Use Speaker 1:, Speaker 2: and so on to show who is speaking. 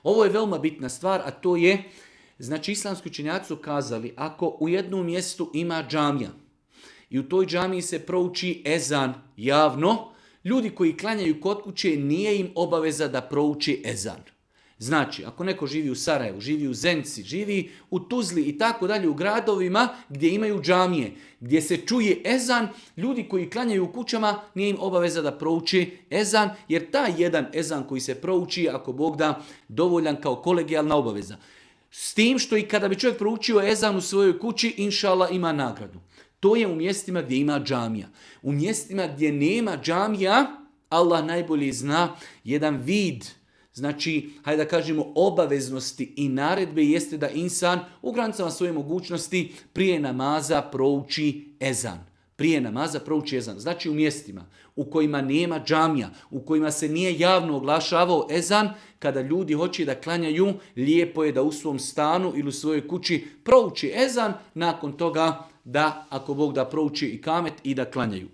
Speaker 1: Ovo je veoma bitna stvar, a to je, znači islamski učenjaci su kazali, ako u jednom mjestu ima džamija i u toj džamiji se prouči ezan javno, ljudi koji klanjaju kod kuće nije im obaveza da prouči ezan. Znači, ako neko živi u Sarajevu, živi u Zenci, živi u Tuzli i tako dalje u gradovima gdje imaju džamije, gdje se čuje ezan, ljudi koji klanjaju u kućama nije im obaveza da prouči ezan, jer taj jedan ezan koji se prouči, ako Bog da, dovoljan kao kolegijalna obaveza. S tim što i kada bi čovjek proučio ezan u svojoj kući, inšala ima nagradu. To je u mjestima gdje ima džamija. U mjestima gdje nema džamija, Allah najbolje zna, jedan vid, znači, hajde da kažemo, obaveznosti i naredbe jeste da insan u granicama svoje mogućnosti prije namaza prouči ezan. Prije namaza prouči ezan. Znači u mjestima u kojima nema džamija, u kojima se nije javno oglašavao ezan, kada ljudi hoće da klanjaju, lijepo je da u svom stanu ili u svojoj kući prouči ezan, nakon toga da, ako Bog da, prouči i kamet i da klanjaju.